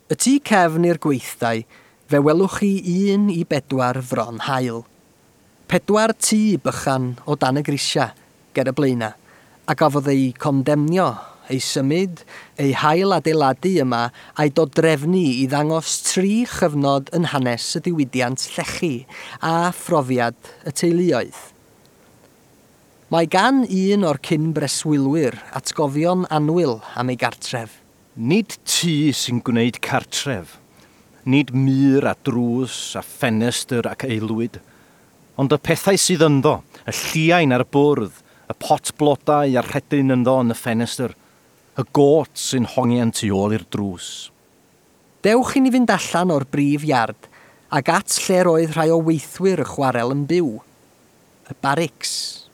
Y tu cefn i'r gweithdai, fe welwch chi 1 i 4 fron haul. 4 tŷ bychan o dan y grisia, ger y blaena, a gafodd eu condemnio, eu symud, eu hail adeiladu yma a'i dodrefnu i ddangos 3 chyfnod yn hanes y diwydiant llechi a phrofiad y teuluoedd. Mae gan un o'r cyn breswylwyr atgofion annwyl am ei gartref. Nid tŷ sy'n gwneud cartref, nid mur a drws a ffenestr ac aelwyd, ond y pethau sydd ynddo, y lliain ar y bwrdd, y pot blodau a'r rhedyn ynddo yn y ffenestr, y got sy'n hongian tu ôl i'r drws. Dewch i ni fynd allan o'r brif iard ac at lle'r oedd rhai o weithwyr y chwarel yn byw. Y barics.